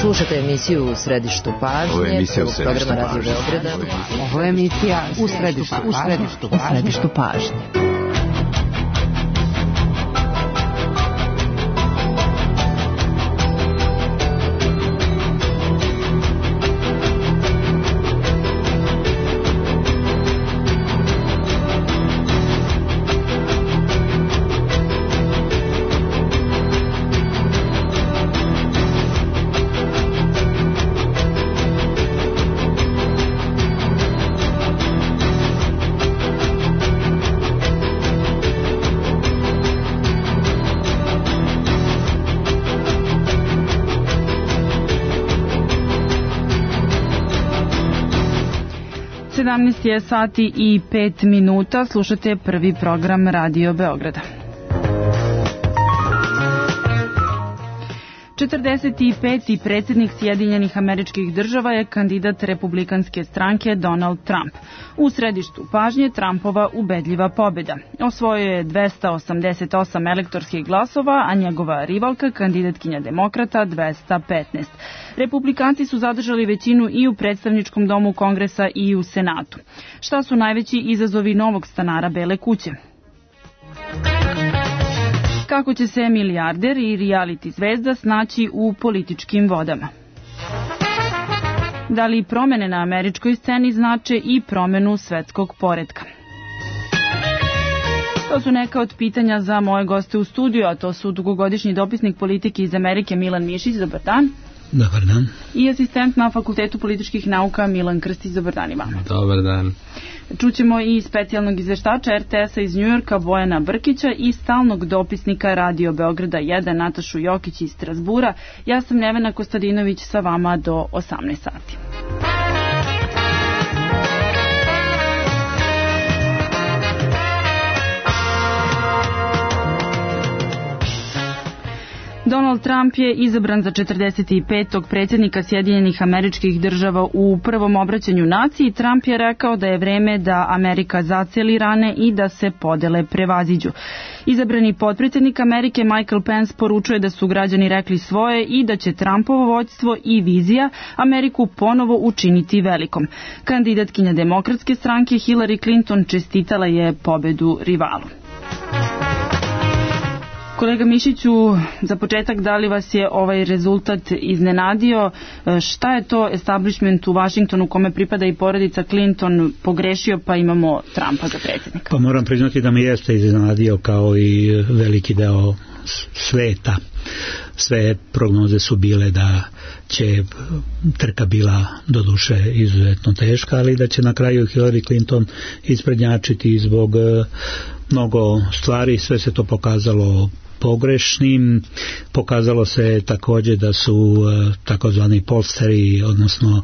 Slušate emisiju U središtu pažnje, programa Radio Beograda. Ovo je emisija U središtu pažnje. Je sati i 5 minuta. Slušate prvi program Radio Beograda. 45. predsjednik Sjedinjenih Američkih Država je kandidat republikanske stranke Donald Trump. U središtu pažnje Trumpova ubedljiva pobjeda. Osvojio je 288 elektorskih glasova, a njegova rivalka, kandidatkinja demokrata, 215. Republikanci su zadržali većinu i u predstavničkom domu Kongresa i u Senatu. Šta su najveći izazovi novog stanara Bele kuće? Kako će se milijarder i reality zvezda snaći u političkim vodama? Da li promene na američkoj sceni znače i promenu svetskog poretka? To su neka od pitanja za moje goste u studiju, a to su dugogodišnji dopisnik politike iz Amerike Milan Mišić, dobar dan. Dobar dan. I asistent na Fakultetu političkih nauka Milan Krstić, dobar dan i vama. Dobar dan. Čućemo i specijalnog izveštača RTS-a iz Njujorka Bojana Brkića i stalnog dopisnika Radio Beograda 1 Natašu Jokić iz Strasbura. Ja sam Nevena Kostadinović sa vama do 18 sati. Donald Trump je izabran za 45. predsjednika Sjedinjenih Američkih Država. U prvom obraćanju naciji Trump je rekao da je vreme da Amerika zaceli rane i da se podele prevaziđu. Izabrani potpredsjednik Amerike Michael Pence poručuje da su građani rekli svoje i da će Trumpovo vođstvo i vizija Ameriku ponovo učiniti velikom. Kandidatkinja demokratske stranke Hillary Clinton čestitala je pobedu rivalu. Kolega Mišiću, za početak, da li vas je ovaj rezultat iznenadio? Šta je to establishment u Vašingtonu, kome pripada i porodica Clinton, pogrešio pa imamo Trumpa za predsjednika? Pa moram priznati da me jeste iznenadio kao i veliki deo sveta. Sve prognoze su bile da će trka bila doduše izuzetno teška, ali da će na kraju Hillary Clinton isprednjačiti zbog mnogo stvari. Sve se to pokazalo pogrešnim. Pokazalo se također da su takozvani polsteri, odnosno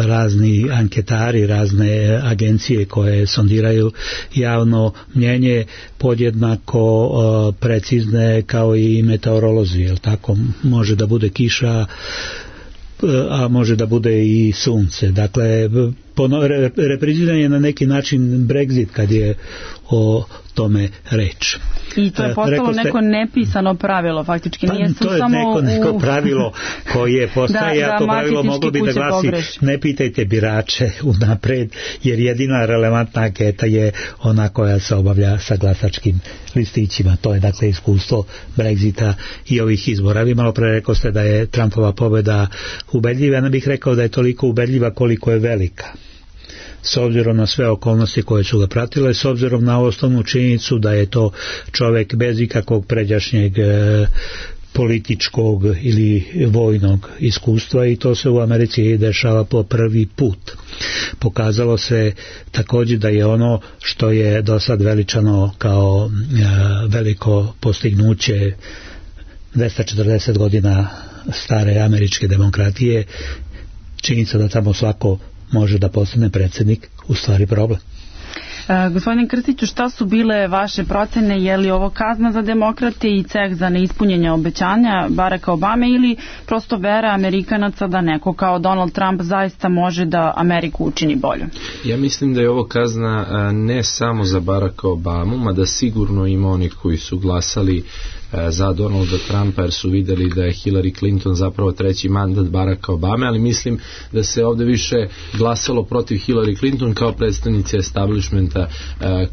razni anketari, razne agencije koje sondiraju javno mnjenje podjednako precizne kao i meteorolozi, jel tako? Može da bude kiša, a može da bude i sunce. Dakle, repriziran je na neki način Brexit kad je o tome reč. I to je postalo neko nepisano pravilo, faktički. Pa, nije to je samo neko pravilo koje postaje, a to pravilo moglo bi da glasi ne pitajte birače unapred, jer jedina relevantna anketa je ona koja se obavlja sa glasačkim listićima. To je dakle iskustvo Brexita i ovih izbora. Vi malo pre rekao ste da je Trumpova pobjeda ubedljiva, ja ne bih rekao da je toliko ubedljiva koliko je velika. S obzirom na sve okolnosti koje su ga pratile, s obzirom na osnovnu činjenicu da je to čovjek bez ikakvog pređašnjeg političkog ili vojnog iskustva, i to se u Americi dešava po prvi put. Pokazalo se također da je ono što je do sad veličano kao veliko postignuće 240 godina stare američke demokratije, činjenica da tamo svako može da postane predsjednik, u stvari problem. Gospodine Krstiću, šta su bile vaše procene? Je li ovo kazna za demokrate i ceh za neispunjenje obećanja Baracka Obame ili prosto vera Amerikanaca da neko kao Donald Trump zaista može da Ameriku učini bolje? Ja mislim da je ovo kazna ne samo za Baracka Obamu, mada sigurno ima onih koji su glasali za Donalda Trumpa jer su videli da je Hillary Clinton zapravo treći mandat Baracka Obame, ali mislim da se ovde više glasalo protiv Hillary Clinton kao predstavnice establishmenta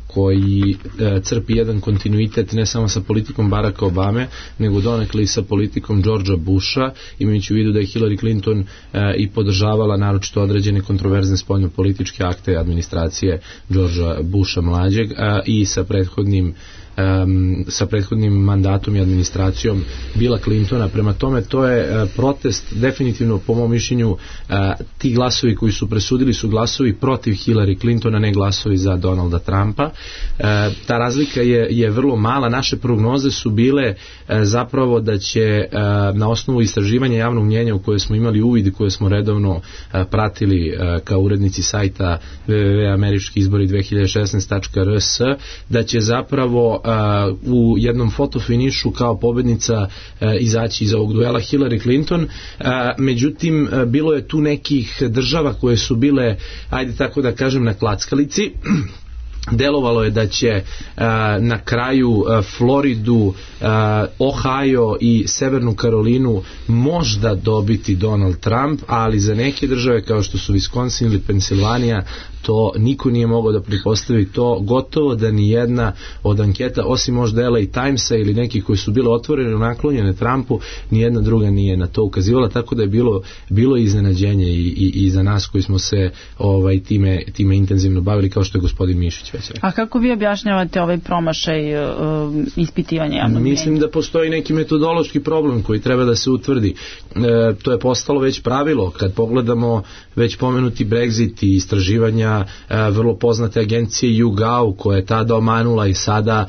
koji crpi jedan kontinuitet ne samo sa politikom Baracka Obame, nego donekle i sa politikom Georgea Busha, imajući u vidu da je Hillary Clinton i podržavala naročito određene kontroverzne spoljnopolitičke akte administracije Georgea Busha mlađeg i sa prethodnim mandatom i administracijom Billa Clintona. Prema tome, to je protest definitivno, po mom mišljenju, ti glasovi koji su presudili su glasovi protiv Hillary Clintona, ne glasovi za Donalda Trumpa. Ta razlika je vrlo mala. Naše prognoze su bile zapravo da će na osnovu istraživanja javnog mnjenja u koje smo imali uvid i koje smo redovno pratili kao urednici sajta www.američkiizbori2016.rs, da će zapravo u jednom fotofinišu kao pobednica izaći iz ovog duela Hillary Clinton. Međutim, bilo je tu nekih država koje su bile, ajde tako da kažem, na klackalici. Delovalo je da će na kraju Floridu, Ohio i Severnu Karolinu možda dobiti Donald Trump, ali za neke države kao što su Wisconsin ili Pensilvanija to niko nije mogao da pretpostavi. To gotovo da ni jedna od anketa, osim možda LA Timesa ili nekih koji su bile otvorene naklonjene Trumpu, ni jedna druga nije na to ukazivala, tako da je bilo iznenađenje i za nas koji smo se time intenzivno bavili, kao što je gospodin Mišić već rekao. A kako vi objašnjavate ovaj promašaj ispitivanja javnog mnjenja? Mislim da postoji neki metodološki problem koji treba da se utvrdi. To je postalo već pravilo. Kad pogledamo već pomenuti Brexit i istraživanja vrlo poznate agencije YouGov koja je tada omanula i sada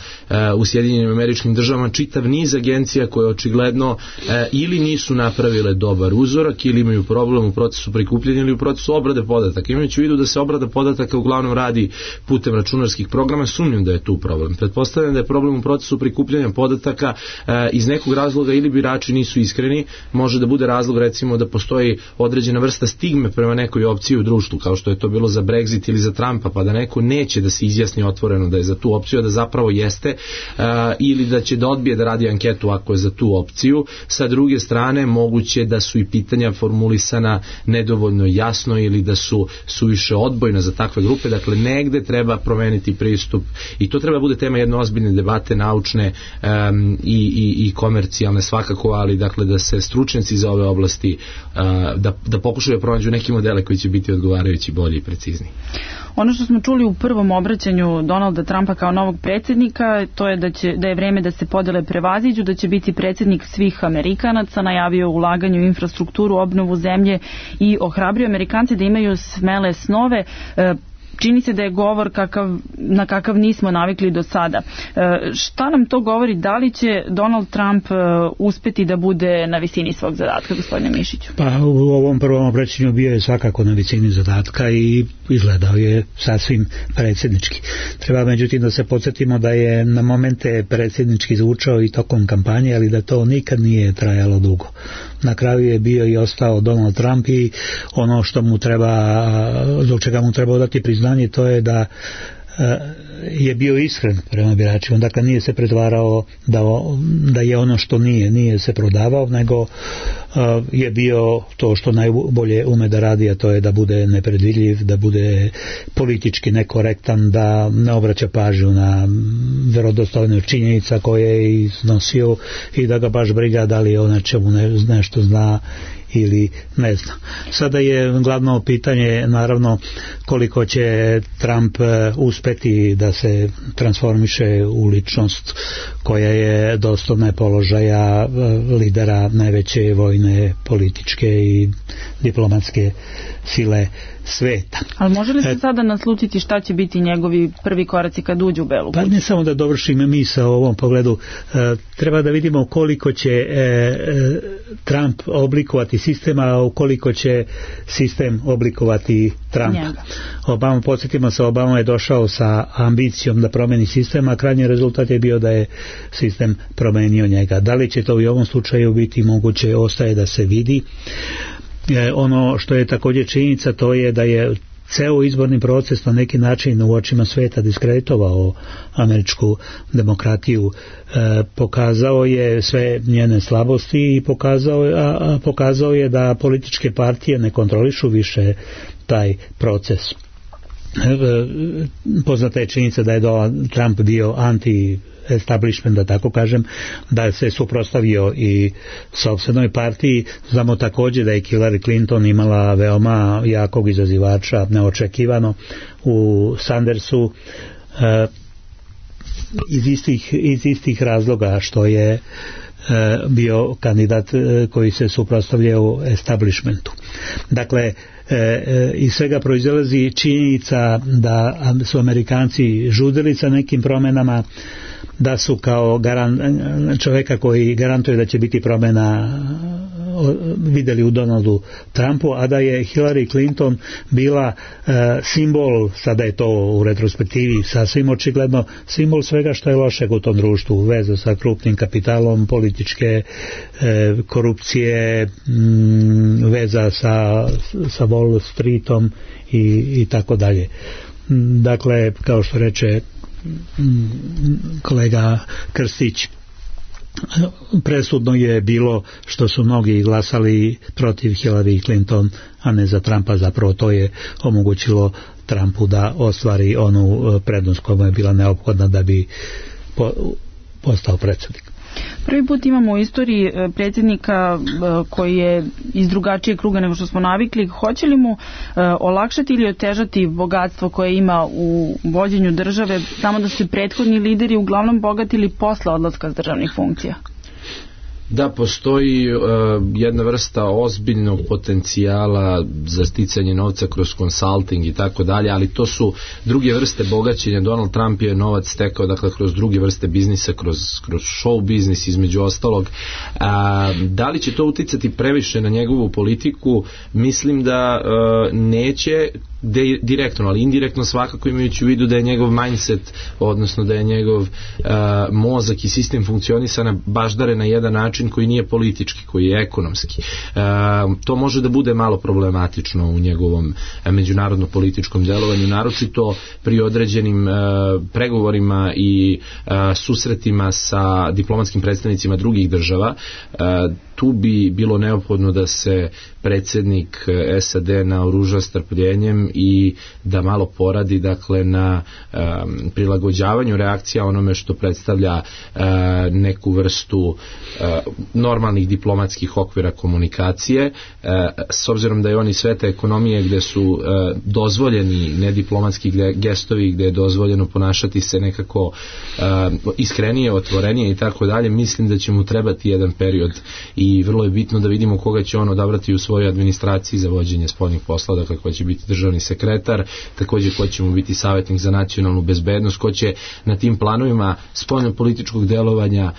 u Sjedinjenim Američkim Državama čitav niz agencija koje očigledno ili nisu napravile dobar uzorak ili imaju problem u procesu prikupljanja ili u procesu obrade podataka. Imajući u vidu da se obrada podataka uglavnom radi putem računarskih programa, sumnjam da je tu problem. Pretpostavljam da je problem u procesu prikupljanja podataka iz nekog razloga ili birači nisu iskreni, može da bude razlog recimo da postoji određena vrsta stigme prema nekoj opciji u društvu, kao što je to bilo za Brexit ili za Trumpa, pa da neko neće da se izjasni otvoreno da je za tu opciju, da zapravo jeste, ili da će da odbije da radi anketu ako je za tu opciju. Sa druge strane, moguće da su i pitanja formulisana nedovoljno jasno ili da su suviše odbojna za takve grupe. Dakle, negde treba promeniti pristup i to treba bude tema jedne ozbiljne debate, naučne i komercijalne svakako, ali dakle da se stručnjaci za ove oblasti da pokušaju pronađu neke modele koji će biti odgovarajući, bolji i precizni. Ono što smo čuli u prvom obraćanju Donalda Trumpa kao novog predsjednika, to je da je vreme da se podele prevaziđu, da će biti predsjednik svih Amerikanaca, najavio ulaganje u infrastrukturu, obnovu zemlje i ohrabrio Amerikance da imaju smele snove. Čini se da je govor na kakav nismo navikli do sada. Šta nam to govori? Da li će Donald Trump uspeti da bude na visini svog zadatka, gospodine Mišiću? Pa u ovom prvom obraćanju bio je svakako na visini zadatka i izgledao je sasvim predsjednički. Treba međutim da se podsjetimo da je na momente predsjednički zvučao i tokom kampanje, ali da to nikad nije trajalo dugo. Na kraju je bio i ostao Donald Trump i ono što mu treba, zbog čega mu treba dati priznanje, to je da je bio iskren prema biračima, dakle nije se pretvarao da je ono što nije se prodavao, nego je bio to što najbolje ume da radi, a to je da bude nepredvidljiv, da bude politički nekorektan, da ne obraća pažnju na verodostojne činjenica koje je iznosio i da ga baš briga da li on o čemu nešto zna ili ne zna. Sada je glavno pitanje naravno koliko će Trump uspeti da se transformiše u ličnost koja je dostojna položaja lidera najveće vojne, političke i diplomatske sile sveta. Ali može li se sada naslutiti šta će biti njegovi prvi koraci kad uđu u Belu kuću? Pa ne samo da dovršim misao u ovom pogledu, treba da vidimo koliko će Trump oblikovati sistem, a ukoliko će sistem oblikovati Trumpa. Obama, podsjetimo se, Obama je došao sa ambicijom da promeni sistem, a krajnji rezultat je bio da je sistem promenio njega. Da li će to i u ovom slučaju biti moguće, ostaje da se vidi. Ono što je također činjenica, to je da je ceo izborni proces na neki način u očima sveta diskreditovao američku demokratiju, pokazao je sve njene slabosti i pokazao je da političke partije ne kontrolišu više taj proces. Poznata je činjenica da je Donald Trump bio anti-establishment, da tako kažem, da se suprotstavio i sopstvenoj partiji. Znamo također da je Hillary Clinton imala veoma jakog izazivača, neočekivano, u Sandersu, iz istih razloga što je bio kandidat koji se suprotstavljao establishmentu. Dakle, iz svega proizilazi činjenica da su Amerikanci žudili sa nekim promjenama, da su kao čovjeka koji garantuje da će biti promjena vidjeli u Donaldu Trumpu, a da je Hillary Clinton bila simbol, sada je to u retrospektivi sasvim očigledno, simbol svega što je lošeg u tom društvu, veza sa krupnim kapitalom, političke korupcije, veza sa Wall Streetom i tako dalje. Dakle, kao što reče kolega Krstić, presudno je bilo što su mnogi glasali protiv Hillary Clinton, a ne za Trumpa. Zapravo to je omogućilo Trumpu da ostvari onu prednost koja je bila neophodna da bi postao predsjednik. Prvi put imamo u istoriji predsjednika koji je iz drugačijeg kruga nego što smo navikli. Hoće li mu olakšati ili otežati bogatstvo koje ima u vođenju države, samo da su prethodni lideri uglavnom bogatili posle odlaska s državnih funkcija? Da, postoji jedna vrsta ozbiljnog potencijala za sticanje novca kroz consulting i tako dalje, ali to su druge vrste bogaćenja. Donald Trump je novac stekao, dakle, kroz druge vrste biznisa, kroz show biznis između ostalog. Da li će to uticati previše na njegovu politiku? Mislim da neće direktno, ali indirektno svakako, imajući u vidu da je njegov mindset, odnosno da je njegov mozak i sistem funkcionisanja baždare na jedan način koji nije politički, koji je ekonomski. To može da bude malo problematično u njegovom međunarodno političkom delovanju, naročito pri određenim pregovorima i susretima sa diplomatskim predstavnicima drugih država. Tu bi bilo neophodno da se predsjednik SAD naoruža strpljenjem i da malo poradi, dakle, na prilagođavanju reakcija onome što predstavlja neku vrstu normalnih diplomatskih okvira komunikacije, s obzirom da je on iz sveta ekonomije gde su dozvoljeni nediplomatski gestovi, gde je dozvoljeno ponašati se nekako iskrenije, otvorenije i tako dalje. Mislim da će mu trebati jedan period i vrlo je bitno da vidimo koga će on odabrati u svojoj administraciji za vođenje spoljnih posla, dakle ko će biti državni sekretar, također ko će mu biti savjetnik za nacionalnu bezbednost, ko će na tim planovima spoljno-političkog delovanja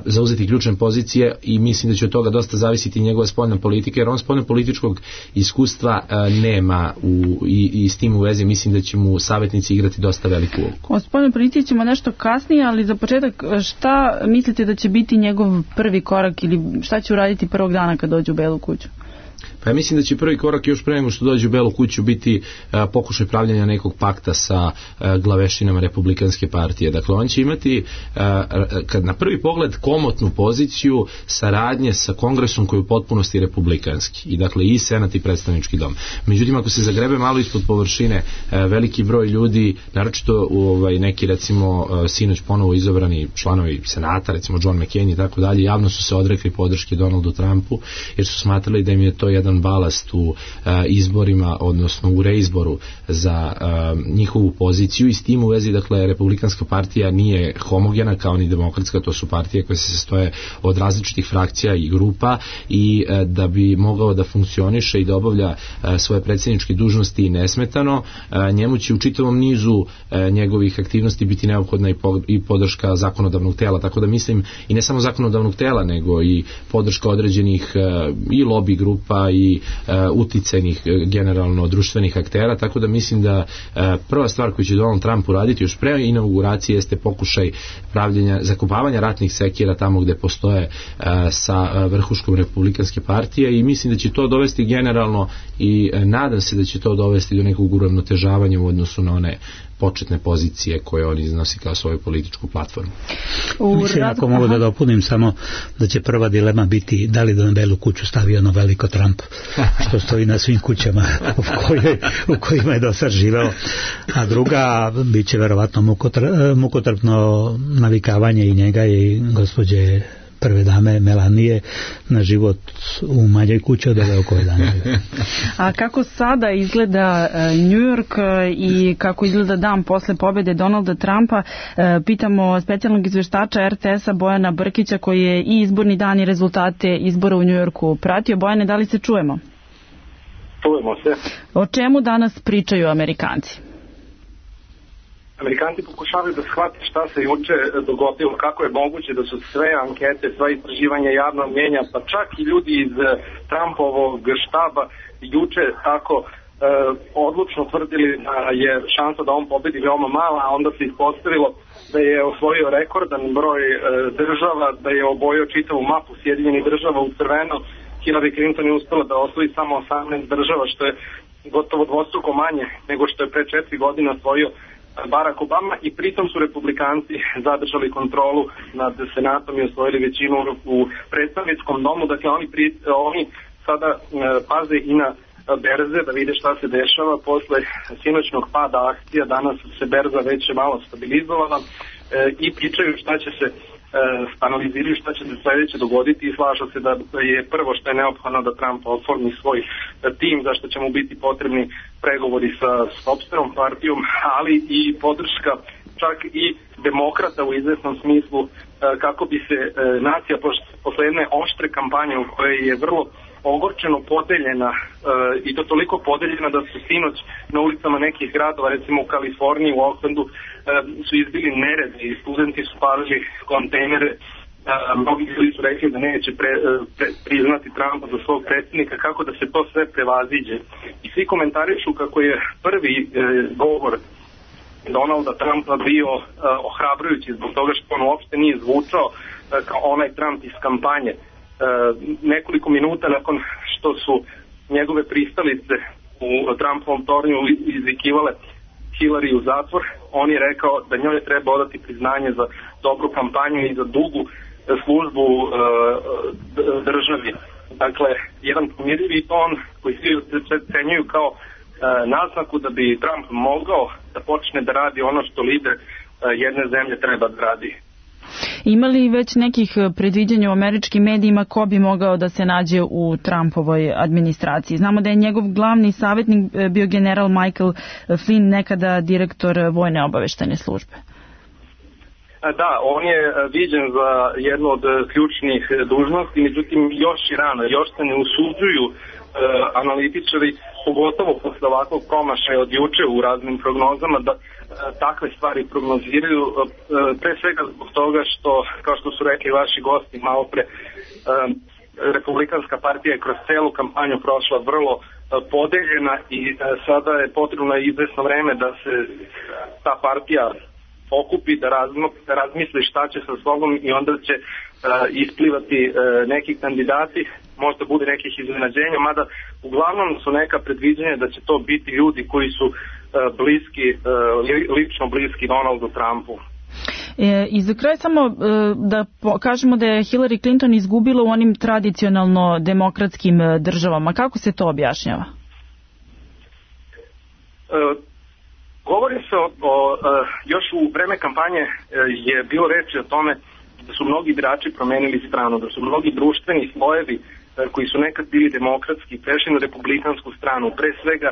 zauzeti ključne pozicije, i mislim da će od toga dosta zavisiti njegova spoljna politika, jer on spoljno-političkog iskustva nema i s tim u vezi mislim da će mu savjetnici igrati dosta veliku ulogu. O spoljnoj politici ćemo nešto kasnije, ali za početak, šta mislite da će biti njegov prvi korak ili šta će uraditi prvog dana kad dođe u Belu kuću? Pa ja mislim da će prvi korak još pre nego što dođe u Belu kuću biti pokušaj pravljanja nekog pakta sa glavešinama Republikanske partije. Dakle, on će imati kad na prvi pogled komotnu poziciju saradnje sa Kongresom koji je u potpunosti republikanski. I dakle i Senat i predstavnički dom. Međutim, ako se zagrebe malo ispod površine, veliki broj ljudi, naročito neki recimo sinoć ponovo izabrani članovi Senata, recimo John McCain i tako dalje, javno su se odrekli podrške Donaldu Trumpu jer su smatrali da im je to jedan balast u izborima, odnosno u reizboru za njihovu poziciju i s tim u vezi, dakle, Republikanska partija nije homogena kao ni demokratska, to su partije koje se sastoje od različitih frakcija i grupa i da bi mogao da funkcioniše i da obavlja svoje predsjedničke dužnosti nesmetano, njemu će u čitavom nizu njegovih aktivnosti biti neophodna i podrška zakonodavnog tela, tako da mislim i ne samo zakonodavnog tela, nego i podrška određenih i lobby grupa i uticajnih generalno društvenih aktera, tako da mislim da prva stvar koju će Donald Trump uraditi još pre inauguracije jeste pokušaj zakopavanja ratnih sekira tamo gde postoje sa vrhuškom Republikanske partije i mislim da će to dovesti generalno i nadam se da će to dovesti do nekog uravnotežavanja u odnosu na one početne pozicije koje on iznosi kao svoju političku platformu. Mislim, ako mogu da dopunim samo da će prva dilema biti da li da na Belu kuću stavi ono veliko Trump što stoji na svim kućama u kojima je do sad živeo, a druga bit će verovatno mukotrpno navikavanje i njega i gospođe prve dame Melanije na život u manjoj kući od ove oko dana. A kako sada izgleda New York i kako izgleda dan posle pobjede Donalda Trumpa? Pitamo specijalnog izveštača RTS-a Bojana Brkića koji je i izborni dan i rezultate izbora u New Yorku pratio. Bojane, da li se čujemo? Čujemo se. O čemu danas pričaju Amerikanci? Amerikanci pokušavaju da shvate šta se juče dogodilo, kako je moguće da su sve ankete, sva istraživanja javnog mnjenja, pa čak i ljudi iz Trumpovog štaba juče tako odlučno tvrdili da je šansa da on pobedi veoma mala, a onda se ispostavilo da je osvojio rekordan broj država, da je obojio čitavu mapu Sjedinjenih država u crveno. Hillary Clinton je uspela da osvoji samo 18 država, što je gotovo dvostruko manje nego što je pre 4 godine osvojio Barack Obama i pritom su republikanci zadržali kontrolu nad senatom i osvojili većinu u predstavničkom domu. Dakle, oni sada paze i na berze da vide šta se dešava. Posle sinoćnog pada akcija danas se berza već malo stabilizovala i pričaju šta će se analiziraju šta će se sledeće dogoditi i slažu se da je prvo što je neophodno da Trump oformi svoj tim, zašto će mu biti potrebni pregovori sa sopstvenom partijom, ali i podrška čak i demokrata u izvesnom smislu kako bi se nacija posle jedne oštre kampanje u kojoj je vrlo ogorčeno podeljena i to toliko podeljena da su sinoć na ulicama nekih gradova, recimo u Kaliforniji, u Oaklandu, su izbili neredi i studenti su palili kontejnere. Mnogi ljudi su rekli da neće priznati Trumpa za svog predsjednika, kako da se to sve prevaziđe. I svi komentarišu kako je prvi govor Donalda Trumpa bio ohrabrujući zbog toga što on uopšte nije zvučao kao onaj Trump iz kampanje. Nekoliko minuta nakon što su njegove pristalice u Trumpovom tornju izvikivale Hillary u zatvor, on je rekao da njoj treba odati priznanje za dobru kampanju i za dugu službu državi. Dakle, jedan pomirljivi ton koji svi cenjuju kao naznaku da bi Trump mogao da počne da radi ono što lider jedne zemlje treba da radi. Ima li već nekih predviđanja u američkim medijima ko bi mogao da se nađe u Trumpovoj administraciji? Znamo da je njegov glavni savjetnik bio general Michael Flynn, nekada direktor vojne obaveštajne službe. Da, on je viđen za jednu od ključnih dužnosti, međutim još i rano, još se ne usuđuju analitičari, pogotovo posle ovakvog promašaja od juče u raznim prognozama, da takve stvari prognoziraju, pre svega zbog toga što, kao što su rekli vaši gosti malo pre, Republikanska partija je kroz celu kampanju prošla vrlo podeljena i sada je potrebno izvesno vreme da se ta partija okupi, da razmisli šta će sa sobom i onda će isplivati neki kandidati, možda bude nekih iznenađenja, mada uglavnom su neka predviđenja da će to biti ljudi koji su bliski, lično bliski Donaldu Trumpu. I za kraj samo da kažemo da je Hillary Clinton izgubila u onim tradicionalno demokratskim državama. Kako se to objašnjava? Govori se još u vreme kampanje je bilo reči o tome da su mnogi birači promenili stranu, da su mnogi društveni slojevi koji su nekad bili demokratski, prešli na republikansku stranu, pre svega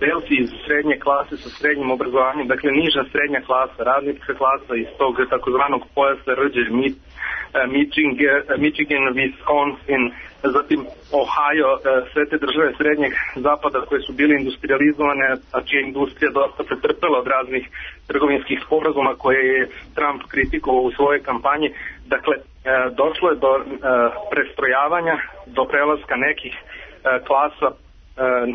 belci iz srednje klase sa srednjim obrazovanjem, dakle niža srednja klasa, radnička klasa iz tog takozvanog pojasa rđe, Michigan, Wisconsin, zatim Ohio, sve te države srednjeg zapada koje su bile industrializovane, a čija industrija dosta pretrpela od raznih trgovinskih sporazuma koje je Trump kritikovao u svojoj kampanji. Dakle, došlo je do prestrojavanja, do prelaska nekih klasa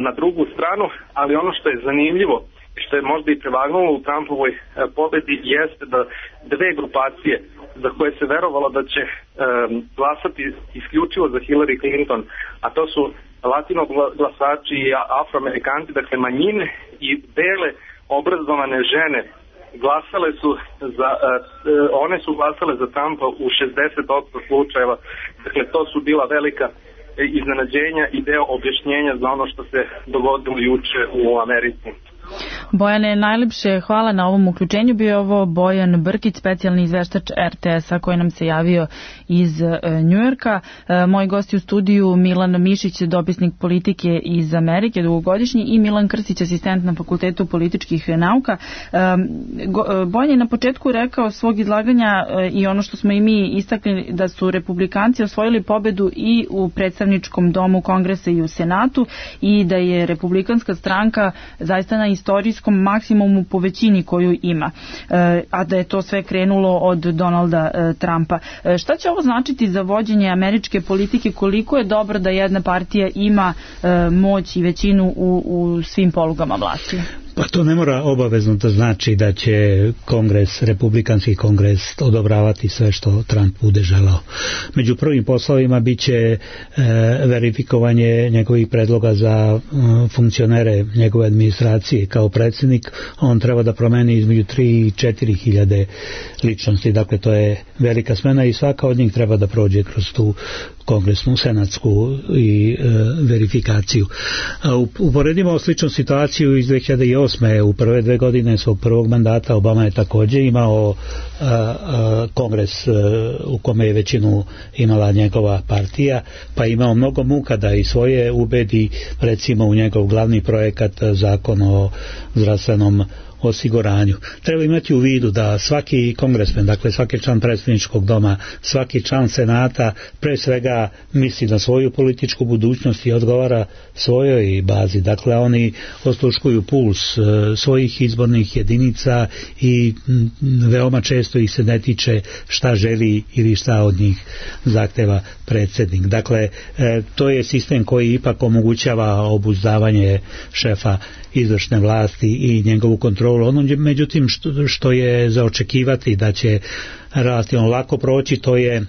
na drugu stranu, ali ono što je zanimljivo, što je možda i prevagnulo u Trumpovoj pobedi, jeste da dve grupacije za koje se verovalo da će glasati isključivo za Hillary Clinton, a to su latino glasači i afroamerikanci, dakle manjine i bele obrazovane žene, one su glasale za Trumpa u 60% slučajeva. Dakle, to su bila velika iznenađenja i deo objašnjenja za ono što se dogodilo juče u Americi. Bojane, najlepše hvala na ovom uključenju. Bio je ovo Bojan Brkić, specijalni izveštač RTS-a koji nam se javio iz Njujorka. Moji gosti u studiju Milan Mišić, dopisnik politike iz Amerike, dugogodišnji, i Milan Krstić, asistent na Fakultetu političkih nauka. Bojan je na početku rekao svog izlaganja i ono što smo i mi istakli, da su republikanci osvojili pobedu i u predstavničkom domu Kongresa i u Senatu i da je republikanska stranka zaista na istorijskom maksimumu po većini koju ima, a da je to sve krenulo od Donalda Trumpa. Šta će ovo značiti za vođenje američke politike? Koliko je dobro da jedna partija ima moć i većinu u svim polugama vlasti? Pa to ne mora obavezno da znači da će kongres, republikanski kongres, odobravati sve što Trump bude želao. Među prvim poslovima bit će verifikovanje njegovih predloga za funkcionere njegove administracije. Kao predsjednik on treba da promeni između 3 i 4 hiljade ličnosti, dakle to je velika smena i svaka od njih treba da prođe kroz tu kongresnu, senatsku i verifikaciju. Uporedimo sličnu situaciju iz 2008. U prve 2 godine svog prvog mandata Obama je također imao kongres u kome je većinu imala njegova partija, pa je imao mnogo muka da i svoje ubedi, recimo u njegov glavni projekat, zakon o zdravstvenom osiguranju. Treba imati u vidu da svaki kongresmen, dakle svaki član predsjedničkog doma, svaki član senata pre svega misli na svoju političku budućnost i odgovara svojoj bazi. Dakle, oni osluškuju puls svojih izbornih jedinica i veoma često ih se ne tiče šta želi ili šta od njih zahteva predsjednik. Dakle, to je sistem koji ipak omogućava obuzdavanje šefa izvršne vlasti i njegovu kontrolu. Ono međutim što je za očekivati da će relativno lako proći, to je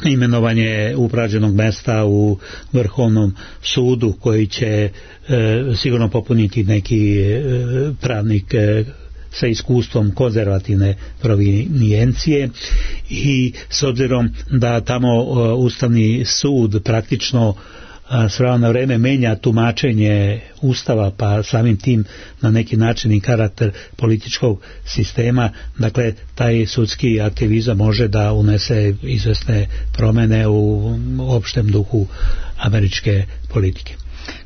imenovanje upražnjenog mesta u Vrhovnom sudu koji će sigurno popuniti neki pravnik sa iskustvom konzervativne provinijencije, i s obzirom da tamo Ustavni sud praktično s vremena na vreme menja tumačenje Ustava, pa samim tim na neki način i karakter političkog sistema, dakle taj sudski aktivizam može da unese izvesne promjene u opštem duhu američke politike.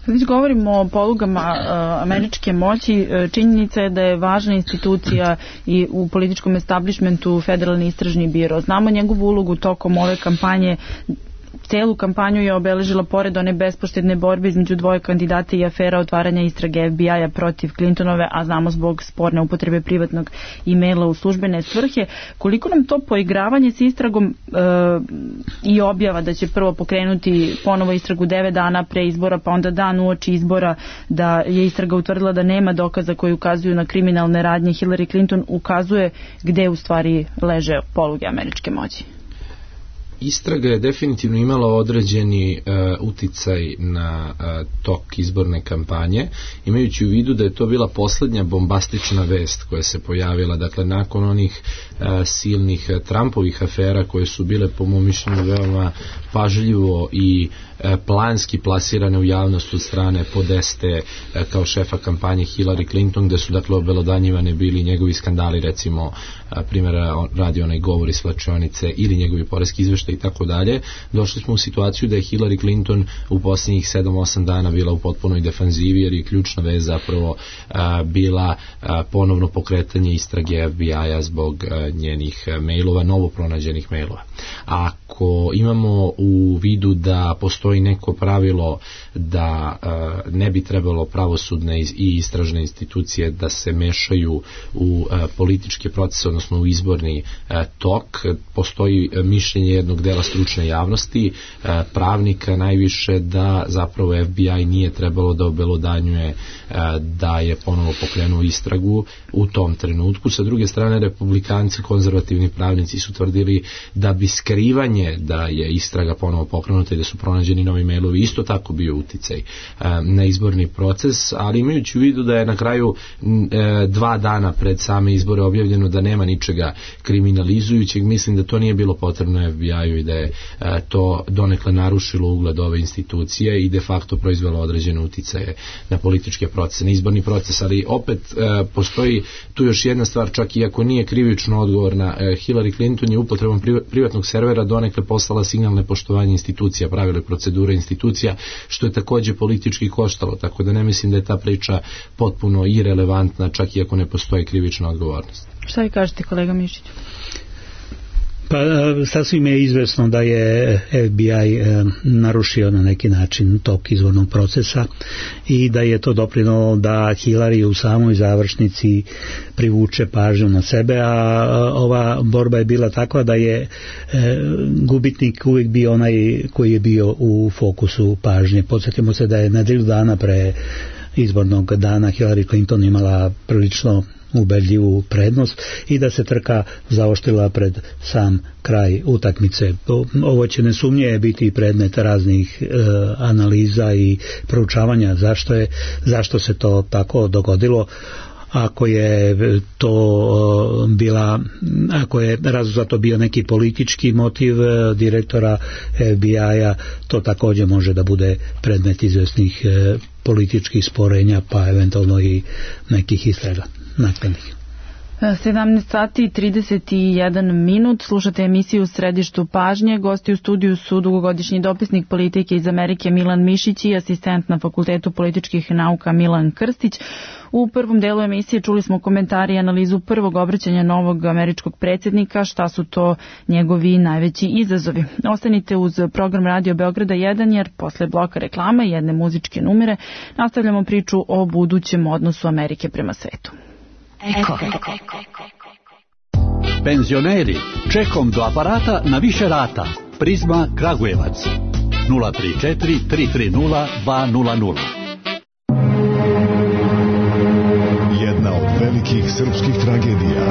Kad već govorimo o polugama američke moći, činjenica je da je važna institucija i u političkom establishmentu Federalni istražni biro. Znamo njegovu ulogu tokom ove kampanje. Celu kampanju je obeležila, pored one bespoštedne borbe između dvoje kandidata i afera otvaranja istrage FBI-a protiv Clintonove, a znamo zbog sporne upotrebe privatnog e-maila u službene svrhe. Koliko nam to poigravanje s istragom i objava da će prvo pokrenuti ponovo istragu 9 dana pre izbora, pa onda dan uoči izbora da je istraga utvrdila da nema dokaza koji ukazuju na kriminalne radnje Hillary Clinton, ukazuje gde u stvari leže poluge američke moći? Istraga je definitivno imala određeni uticaj na tok izborne kampanje, imajući u vidu da je to bila poslednja bombastična vest koja se pojavila, dakle nakon onih silnih Trumpovih afera koje su bile po mom mišljenju veoma pažljivo i planski plasirane u javnost od strane Podeste kao šefa kampanje Hillary Clinton, gde su dakle obelodanjivane bili njegovi skandali, recimo primjera radi onaj govor iz svlačionice ili njegovi poreski izveštaj svašta i tako dalje, došli smo u situaciju da je Hillary Clinton u posljednjih 7-8 dana bila u potpunoj defanzivi, jer je ključna vez zapravo bila ponovno pokretanje istrage FBI-a zbog njenih mailova, novo pronađenih mailova. Ako imamo u vidu da postoji neko pravilo da ne bi trebalo pravosudne i istražne institucije da se mešaju u političke procese, odnosno u izborni tok, postoji mišljenje jednog dela stručne javnosti, pravnika najviše, da zapravo FBI nije trebalo da obelodanjuje da je ponovo pokrenuo istragu u tom trenutku. Sa druge strane, republikanci, konzervativni pravnici su tvrdili da bi skrivanje da je istraga ponovo pokrenuta i da su pronađeni novi mailovi isto tako bio uticaj na izborni proces, ali imajući u vidu da je na kraju 2 dana pred same izbore objavljeno da nema ničega kriminalizujućeg, mislim da to nije bilo potrebno FBI-u i da je to donekle narušilo ugled ove institucije i de facto proizvelo određene uticaje na političke procese, na izborni proces. Ali opet postoji tu još jedna stvar, čak i ako nije krivično odgovorna, Hillary Clinton je upotrebom privatnog servera donekle poslala signal nepoštovanja institucija, pravila i procedure institucija, što je takođe politički koštalo, tako da ne mislim da je ta priča potpuno irelevantna, čak i ako ne postoji krivična odgovornost. Šta vi kažete, kolega Mišić? Pa sasvim je izvesno da je FBI narušio na neki način tok izbornog procesa i da je to doprinalo da Hillary u samoj završnici privuče pažnju na sebe, a ova borba je bila takva da je gubitnik uvijek bio onaj koji je bio u fokusu pažnje. Podsjetimo se da je nedelju dana pre izbornog dana Hillary Clinton imala prilično ubedljivu prednost i da se trka zaoštrila pred sam kraj utakmice. Ovo će nesumnje biti predmet raznih analiza i proučavanja zašto se to tako dogodilo. Ako je razlog za to bio neki politički motiv direktora FBI-a, to također može da bude predmet izvesnih političkih sporenja, pa eventualno i nekih istraga naknadnih. 17 sati i 31 minut, slušate emisiju u Središtu pažnje. Gosti u studiju su dugogodišnji dopisnik politike iz Amerike Milan Mišić i asistent na Fakultetu političkih nauka Milan Krstić. U prvom delu emisije čuli smo komentari i analizu prvog obraćanja novog američkog predsjednika, šta su to njegovi najveći izazovi. Ostanite uz program Radio Beograda 1, jer posle bloka reklama i jedne muzičke numere nastavljamo priču o budućem odnosu Amerike prema svetu. Eko. Penzioneri, čekom do aparata na više rata. Prizma Kragujevac 034 330 200. Jedna od velikih srpskih tragedija.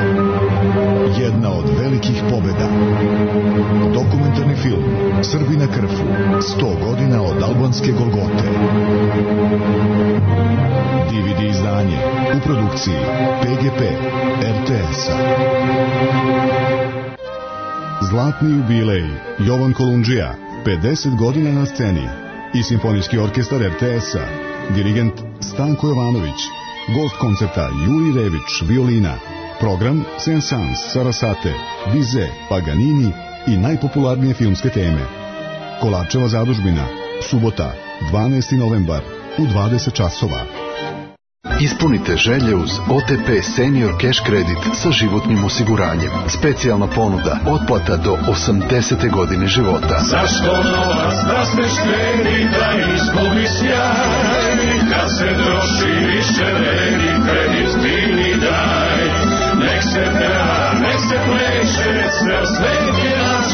Jedna od velikih pobjeda. Dokumentarni film Srbi na krfu. 100 godina od albanske Golgote. DVD izdanje u produkciji PGP RTS-a. Zlatni jubilej Jovan Kolundžija, 50 godina na sceni, i Simfonijski orkestar RTS-a, dirigent Stanko Jovanović, gost koncerta Juri Rević, violina, program Saint-Saëns, Sarasate, Bizet, Paganini i najpopularnije filmske teme. Kolarčeva zadužbina, subota, 12. novembar u 20 časova. Ispunite želje uz OTP Senior Cash Credit sa životnim osiguranjem. Specijalna ponuda, otplata do 80. godine života. Zašto novac da se štedi, da izgubi sjaj? Kad se troši više vredi, kredit bili daj. Nek se peva, nek se pleše, ceo svet je naš.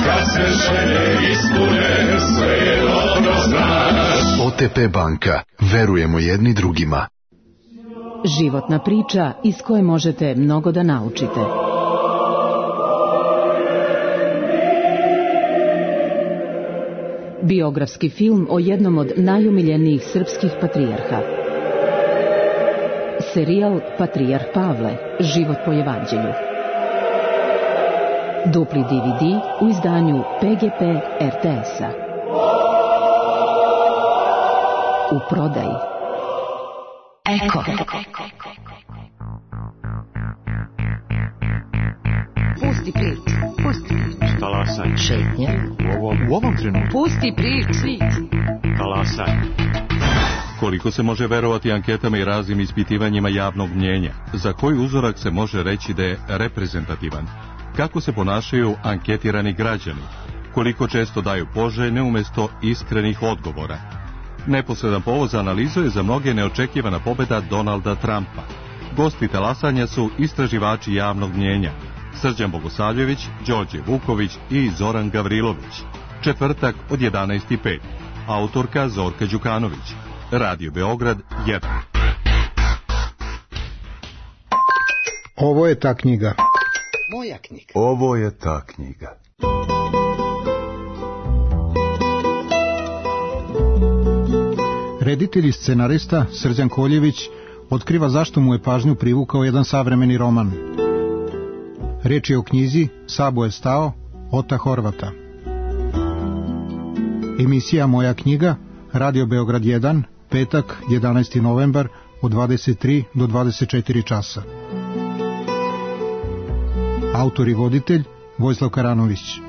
Kad se želje ispune, sve je dobro znaš. OTP banka, verujemo jedni drugima. Životna priča iz koje možete mnogo da naučite. Biografski film o jednom od najumiljenijih srpskih patrijarha. Serijal Patrijarh Pavle, život po evanđelju. Dupli DVD u izdanju PGP RTS-a. U prodaji. Eko. Pusti ključ. Pusti. Talasaj. Šetnja. U ovom trenutku. Pusti priču. Talasaj. Koliko se može verovati anketama i raznim ispitivanjima javnog mnjenja? Za koji uzorak se može reći da je reprezentativan? Kako se ponašaju anketirani građani? Koliko često daju poželjne umjesto iskrenih odgovora? Neposredan povod za analizu je za mnoge neočekivana pobjeda Donalda Trumpa. Gosti talasanja su istraživači javnog mnjenja Srđan Bogosavljević, Đorđe Vuković i Zoran Gavrilović. Četvrtak od 11:05. Autorka Zorka Đukanović. Radio Beograd 1. Ovo je ta knjiga. Moja knjiga. Ovo je ta knjiga. Reditelj i scenarista Srđan Koljević otkriva zašto mu je pažnju privukao jedan savremeni roman. Riječ je o knjizi Sabo je stao, Ota Horvata. Emisija Moja knjiga, Radio Beograd 1, petak, 11. novembar, od 23 do 24 časa. Autor i voditelj Vojislav Karanović.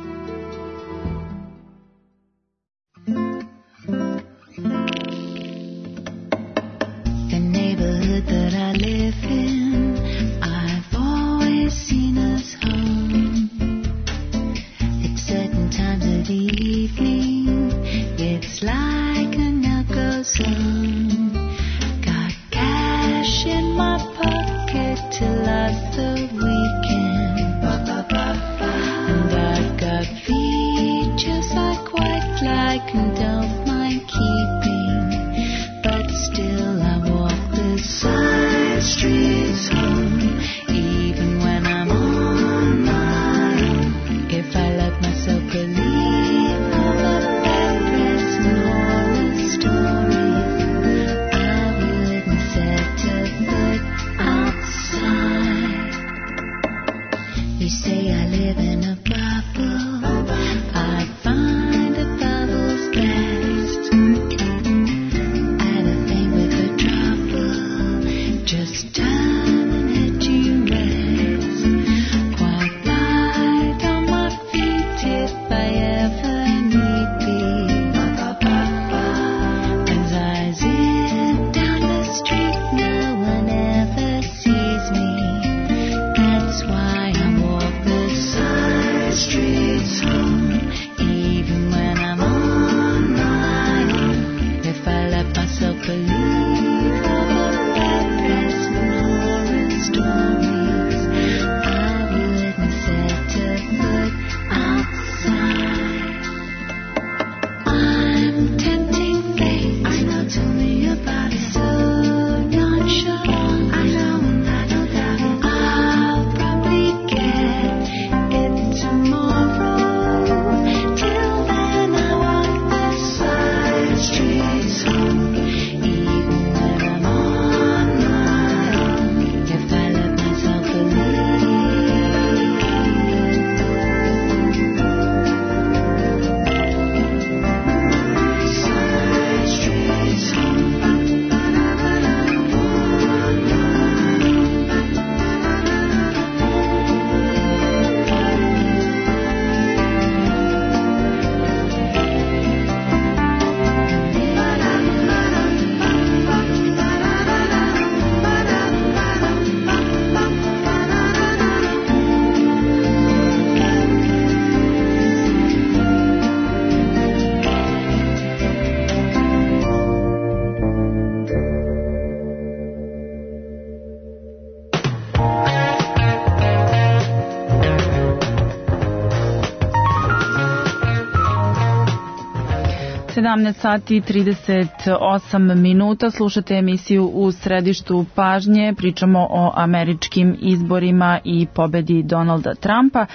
Sati 38 minuta, slušate emisiju U središtu pažnje, pričamo o američkim izborima i pobedi Donalda Trumpa.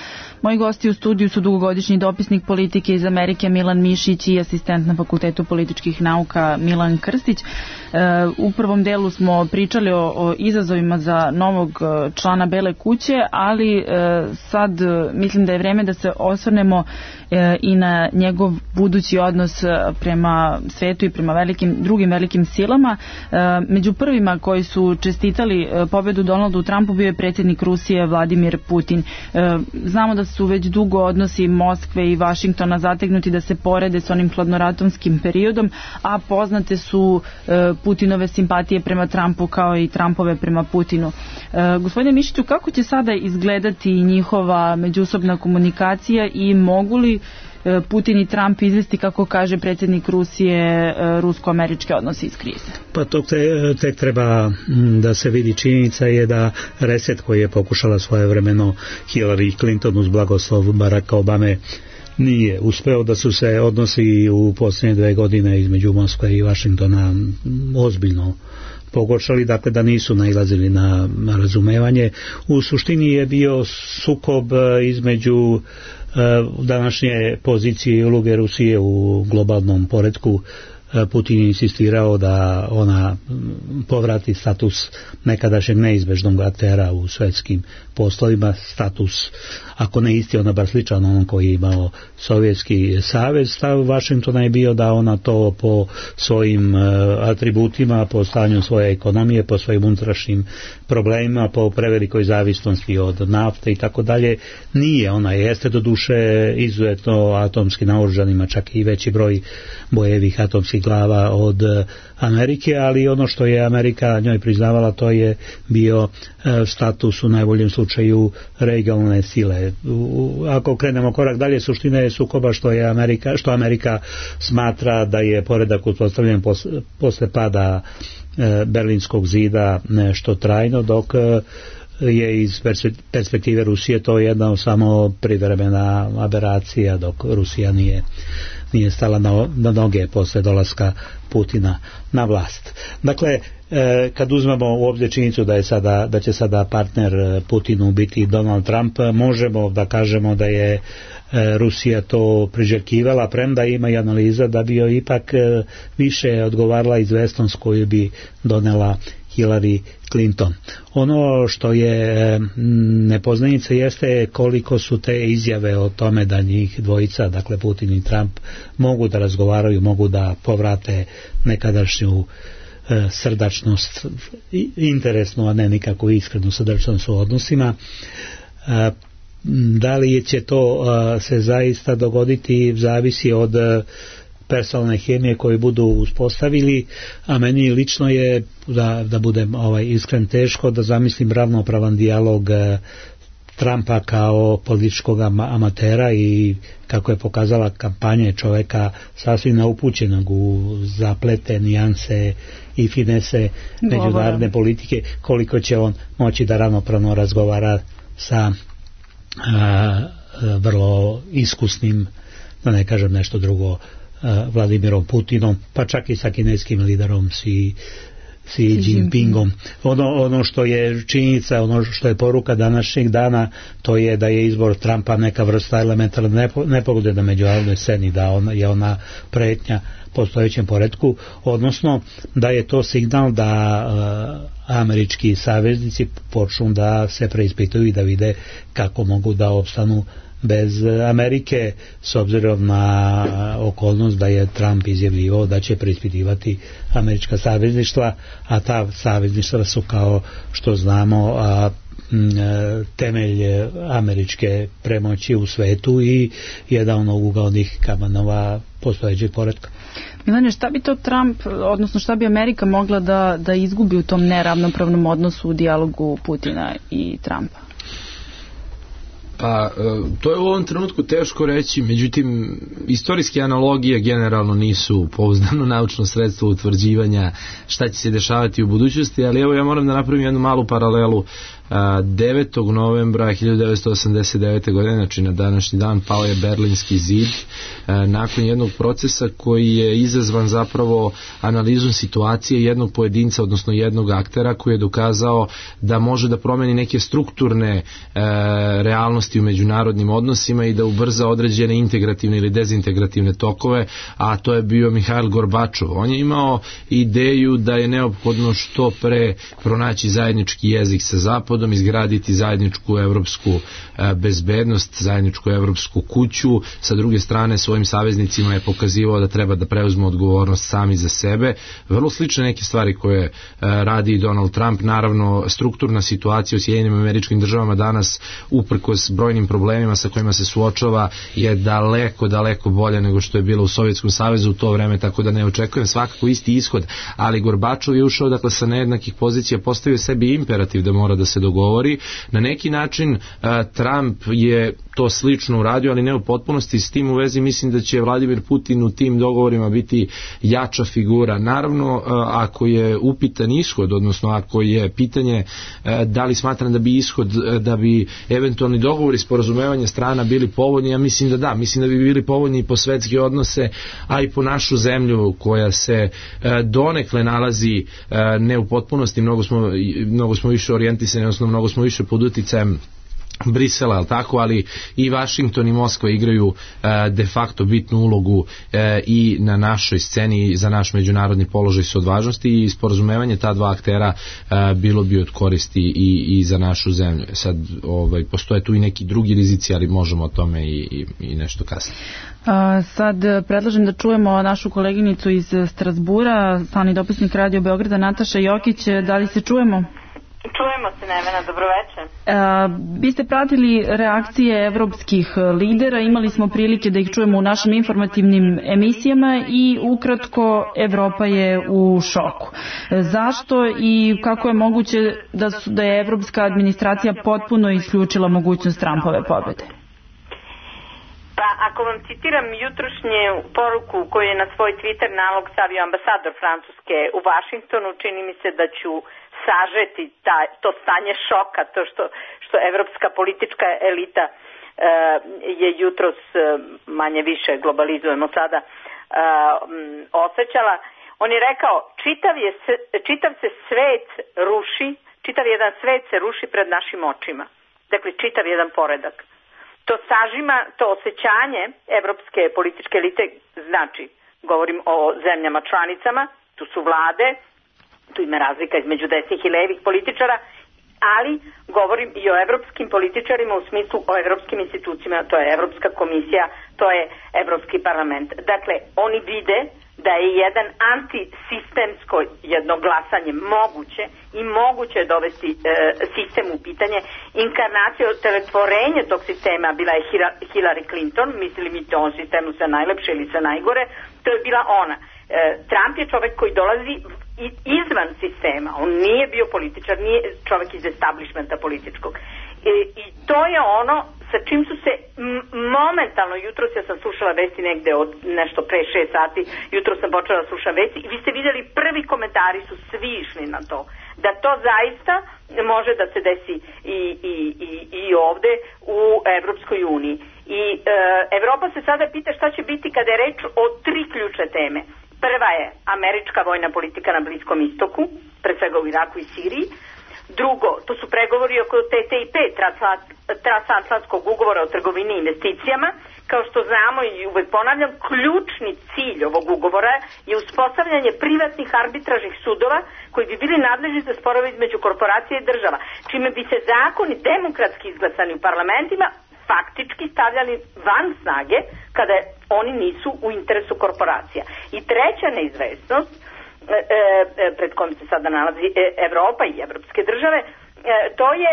Moji gosti u studiju su dugogodišnji dopisnik politike iz Amerike Milan Mišić i asistent na Fakultetu političkih nauka Milan Krstić. U prvom delu smo pričali o izazovima za novog člana Bele kuće, ali sad mislim da je vreme da se osvrnemo i na njegov budući odnos prema svetu i prema drugim velikim silama. Među prvima koji su čestitali pobedu Donaldu Trumpu bio je predsjednik Rusije Vladimir Putin. Znamo da su već dugo odnosi Moskve i Vašingtona zategnuti da se porede s onim hladnoratomskim periodom, a poznate su Putinove simpatije prema Trumpu kao i Trumpove prema Putinu. Gospodine Mišiću, kako će sada izgledati njihova međusobna komunikacija i mogu li Putin i Trump izvesti, kako kaže predsjednik Rusije, rusko-američke odnose iz krize? Pa to tek treba da se vidi. Činjenica je da reset koji je pokušala svojevremeno Hillary Clinton uz blagoslov Baracka Obame nije uspeo, da su se odnosi u posljednje 2 godine između Moskve i Vašingtona ozbiljno pogoršali, dakle da nisu nailazili na razumevanje. U suštini je bio sukob između današnje pozicije i uloge Rusije u globalnom poretku. Putin je insistirao da ona povrati status nekadašnjeg neizbežnog aktera u svetskim poslovima, status, ako ne isti, ona bar sličan onom koji je imao Sovjetski savez. Stav Vašingtona je bio da ona to po svojim atributima, po stanju svoje ekonomije, po svojim unutrašnjim problemima, po prevelikoj zavisnosti od nafte i tako dalje, nije. Ona jeste do duše izuzetno atomski naoružanima, čak i veći broj bojevih atomskih glava od Amerike, ali ono što je Amerika njoj priznavala, to je bio status u najboljem slučaju regionalne sile. Ako krenemo korak dalje, suština je sukoba što Amerika smatra da je poredak uspostavljen posle pada Berlinskog zida nešto trajno, dok je iz perspektive Rusije to jedna samo privremena aberacija, dok Rusija nije stala na noge posle dolaska Putina na vlast. Dakle, kad uzmemo u obzir činjenicu da će sada partner Putinu biti Donald Trump, možemo da kažemo da je Rusija to priželjkivala, premda ima i analiza da bi joj ipak više odgovarala izvesnost koju bi donela Hillary Clinton. Ono što je nepoznanica jeste koliko su te izjave o tome da njih dvojica, dakle Putin i Trump, mogu da razgovaraju, mogu da povrate nekadašnju srdačnost, interesnu, a ne nikako iskrenu srdačnost u odnosima. Da li će to se zaista dogoditi zavisi od personalne hemije koje budu uspostavili, a meni lično je, da budem iskren, teško da zamislim ravnopravan dijalog Trumpa kao političkog amatera i, kako je pokazala kampanja, čoveka sasvim neupućenog u zaplete, nijanse i finese međunarodne politike, koliko će on moći da ravnopravno razgovara sa vrlo iskusnim, da ne kažem nešto drugo, Vladimirom Putinom, pa čak i sa kineskim liderom Xi Jinpingom. Ono što je činjenica, ono što je poruka današnjeg dana, to je da je izbor Trumpa neka vrsta elementarne nepogode na međunarodnoj sceni, da je ona pretnja postojećem poretku, odnosno da je to signal da američki saveznici počnu da se preispituju i da vide kako mogu da opstanu bez Amerike, s obzirom na okolnost da je Trump izjavljivao da će preispitivati američka savezništva, a ta savezništva su, kao što znamo, temelj američke premoći u svetu i jedan od ugaonih kamenova postojećeg poretka. Milane, šta bi to Trump, odnosno šta bi Amerika mogla da izgubi u tom neravnopravnom odnosu u dijalogu Putina i Trumpa? Pa, to je u ovom trenutku teško reći, međutim, istorijske analogije generalno nisu pouzdano naučno sredstvo utvrđivanja šta će se dešavati u budućnosti, ali evo ja moram da napravim jednu malu paralelu. 9. novembra 1989. godine, znači na današnji dan, pao je Berlinski zid nakon jednog procesa koji je izazvan zapravo analizom situacije jednog pojedinca, odnosno jednog aktera koji je dokazao da može da promeni neke strukturne realnosti u međunarodnim odnosima i da ubrza određene integrativne ili dezintegrativne tokove, a to je bio Mihail Gorbačov. On je imao ideju da je neophodno što pre pronaći zajednički jezik sa Zapadom narodom izgraditi zajedničku evropsku bezbednost, zajedničku evropsku kuću. Sa druge strane, svojim saveznicima je pokazivao da treba da preuzmu odgovornost sami za sebe. Vrlo slične neke stvari koje radi Donald Trump. Naravno, strukturna situacija u Sjedinjenim Američkim Državama danas, uprkos brojnim problemima sa kojima se suočava, je daleko bolje nego što je bilo u Sovjetskom savezu u to vreme, tako da ne očekujem svakako isti ishod, ali Gorbačov je ušao sa nejednakih pozicija, postavio sebi imperativ da mora da se dogovori. Na neki način Trump je to slično uradio, ali ne u potpunosti. S tim u vezi mislim da će Vladimir Putin u tim dogovorima biti jača figura. Naravno, ako je upitan ishod, odnosno ako je pitanje da li smatram da bi ishod, da bi eventualni dogovori, sporazumevanje strana bili povoljni, ja mislim da da. Mislim da bi bili povoljni i po svetske odnose, a i po našu zemlju koja se donekle nalazi ne u potpunosti, mnogo smo više orijentisani, odnosno mnogo smo više pod uticajem Brisela, ali tako, ali i Vašington i Moskva igraju de facto bitnu ulogu i na našoj sceni za naš međunarodni položaj su od važnosti i sporazumevanje ta dva aktera bilo bi od koristi i za našu zemlju. Sad postoje tu i neki drugi rizici, ali možemo o tome i nešto kasnije. Sad predlažem da čujemo našu koleginicu iz Strasbura, stalni dopisnik Radio Beograda, Nataša Jokić. Da li se čujemo? Čujemo se, Nevena, dobroveče. Vi ste pratili reakcije evropskih lidera, imali smo prilike da ih čujemo u našim informativnim emisijama i ukratko Evropa je u šoku. Zašto i kako je moguće da je evropska administracija potpuno isključila mogućnost Trumpove pobjede? Pa ako vam citiram jutrošnju poruku koju je na svoj Twitter nalog stavio ambasador Francuske u Vašingtonu, čini mi se da ću sažeti to stanje šoka, to što evropska politička elita je jutros manje više, globalizujemo sada, osjećala. On je rekao, čitav se svet ruši, čitav jedan svet se ruši pred našim očima. Dakle, čitav jedan poredak. To sažima, to osjećanje evropske političke elite, znači, govorim o zemljama članicama, tu su vlade, tu ima razlika između desnih i levih političara, ali govorim i o evropskim političarima u smislu o evropskim institucijama, to je Evropska komisija, to je Evropski parlament. Dakle, oni vide da je jedan antisistemsko jedno glasanje moguće i moguće je dovesti sistem u pitanje. Inkarnacija, teletvorenje tog sistema bila je Hillary Clinton, mislili mi to on sistemu sa najlepše ili sa najgore, to je bila ona. Trump je čovek koji dolazi izvan sistema, on nije bio političar, nije čovek iz establishmenta političkog. I to je ono sa čim su se momentalno, jutros ja sam slušala vesti negde od nešto pre 6 sati, jutros sam počela da slušam vesti i vi ste vidjeli prvi komentari su svi išli na to, da to zaista može da se desi i ovde u Evropskoj uniji. I Evropa se sada pita šta će biti kada je reč o 3 ključne teme. Prva je američka vojna politika na Bliskom istoku, pre svega u Iraku i Siriji. Drugo, to su pregovori oko TTIP, transatlantskog ugovora o trgovini i investicijama. Kao što znamo i uvek ponavljam, ključni cilj ovog ugovora je uspostavljanje privatnih arbitražnih sudova koji bi bili nadležni za sporove između korporacije i država, čime bi se zakoni demokratski izglasani u parlamentima faktički stavljali van snage kada oni nisu u interesu korporacija. I treća neizvesnost pred kojom se sada nalazi Evropa i evropske države, to je,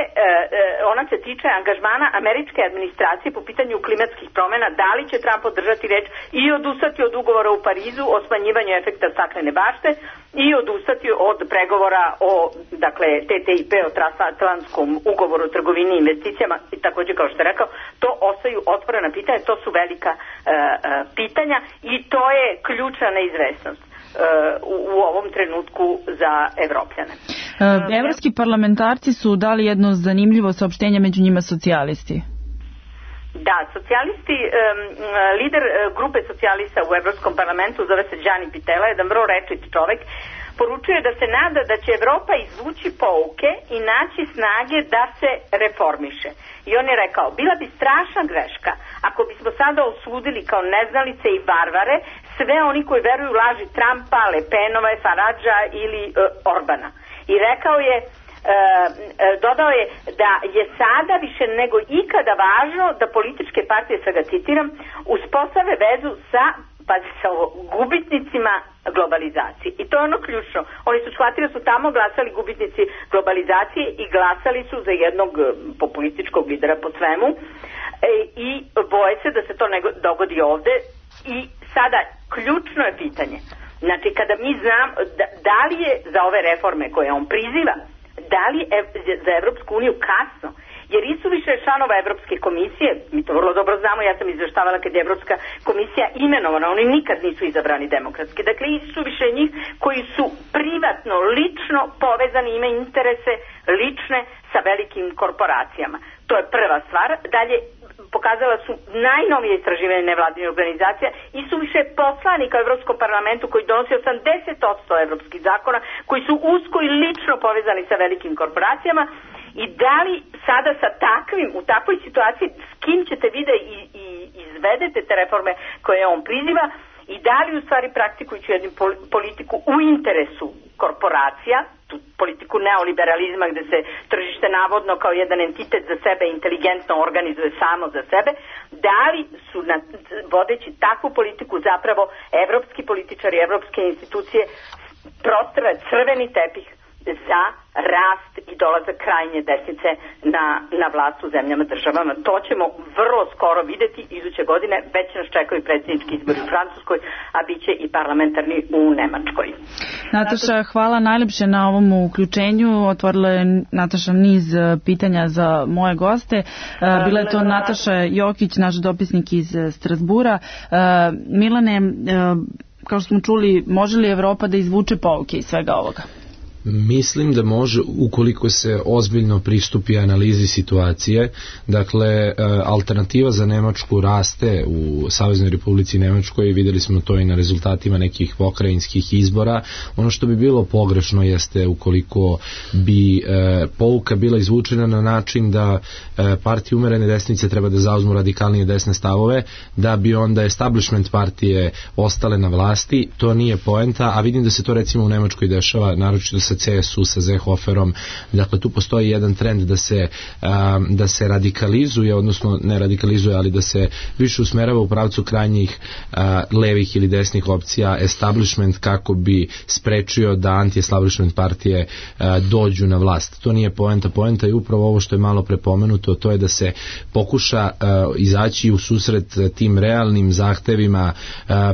ona se tiče angažmana američke administracije po pitanju klimatskih promjena, da li će Trump održati reč i odustati od ugovora u Parizu o smanjivanju efekta staklene bašte i odustati od pregovora o, dakle, TTIP, o transatlantskom ugovoru o trgovini i investicijama i također, kao što je rekao, to ostaju otvorena pitanja, to su velika pitanja i to je ključna neizvesnost u ovom trenutku za Evropljane. Evropski parlamentarci su dali jedno zanimljivo saopštenje, među njima socijalisti. Da, socijalisti, lider grupe socijalista u Evropskom parlamentu, zove se Gianni Pittella, jedan vrlo rečit čovek, poručuje da se nada da će Evropa izvući pouke i naći snage da se reformiše. I on je rekao, bila bi strašna greška ako bismo sada osudili kao neznalice i varvare sve oni koji veruju laži Trumpa, Le Penova, Faradža ili Orbana. I rekao je, dodao je da je sada više nego ikada važno da političke partije, sad ga citiram, uspostave vezu sa gubitnicima globalizacije. I to je ono ključno. Oni su shvatili da su tamo glasali gubitnici globalizacije i glasali su za jednog populističkog lidera po svemu i boje se da se to ne dogodi ovde. I sada ključno je pitanje, znači kada mi znam da li je za ove reforme koje on priziva, da li je za Evropsku uniju kasno, jer isuviše članova Evropske komisije, mi to vrlo dobro znamo, ja sam izveštavala kad je Evropska komisija imenovana, oni nikad nisu izabrani demokratski, dakle isuviše njih koji su privatno, lično povezani, imaju interese lične sa velikim korporacijama. To je prva stvar. Dalje, pokazala su najnovije istraživanje nevladinih organizacija i su više poslanika u Evropskom parlamentu koji donosi 80% evropskih zakona, koji su usko i lično povezani sa velikim korporacijama. I da li sada sa takvim, u takvoj situaciji, s kim ćete vi da izvedete te reforme koje on priziva i da li u stvari praktikujući jednu politiku u interesu korporacija, tu politiku neoliberalizma gde se tržište navodno kao jedan entitet za sebe inteligentno organizuje samo za sebe, da li su vodeći takvu politiku zapravo evropski političari, evropske institucije prostire crveni tepih za rast i dolazak krajnje desnice na vlast u zemljama državama. To ćemo vrlo skoro videti iduće godine, već nas čekaju predsjednički izbori u Francuskoj, a bit će i parlamentarni u Nemačkoj. Nataša, hvala najlepše na ovom uključenju. Otvorila je Nataša niz pitanja za moje goste. Bila je to Nataša Jokić, naš dopisnik iz Strasbura. Milane, kao što smo čuli, može li Evropa da izvuče pouke iz svega ovoga? Mislim da može ukoliko se ozbiljno pristupi analizi situacije. Dakle, alternativa za Nemačku raste u Saveznoj Republici Nemačkoj, videli smo to i na rezultatima nekih pokrajinskih izbora. Ono što bi bilo pogrešno jeste ukoliko bi pouka bila izvučena na način da partije umerene desnice treba da zauzmu radikalnije desne stavove, da bi onda establishment partije ostale na vlasti. To nije poenta, a vidim da se to recimo u Nemačkoj dešava, naročito sa CSU, sa Seehoferom. Dakle, tu postoji jedan trend da se radikalizuje, odnosno ne radikalizuje, ali da se više usmerava u pravcu krajnjih levih ili desnih opcija establishment kako bi sprečio da anti-establishment partije dođu na vlast. To nije poenta. Poenta je upravo ovo što je malo prepomenuto, to je da se pokuša izaći u susret tim realnim zahtevima,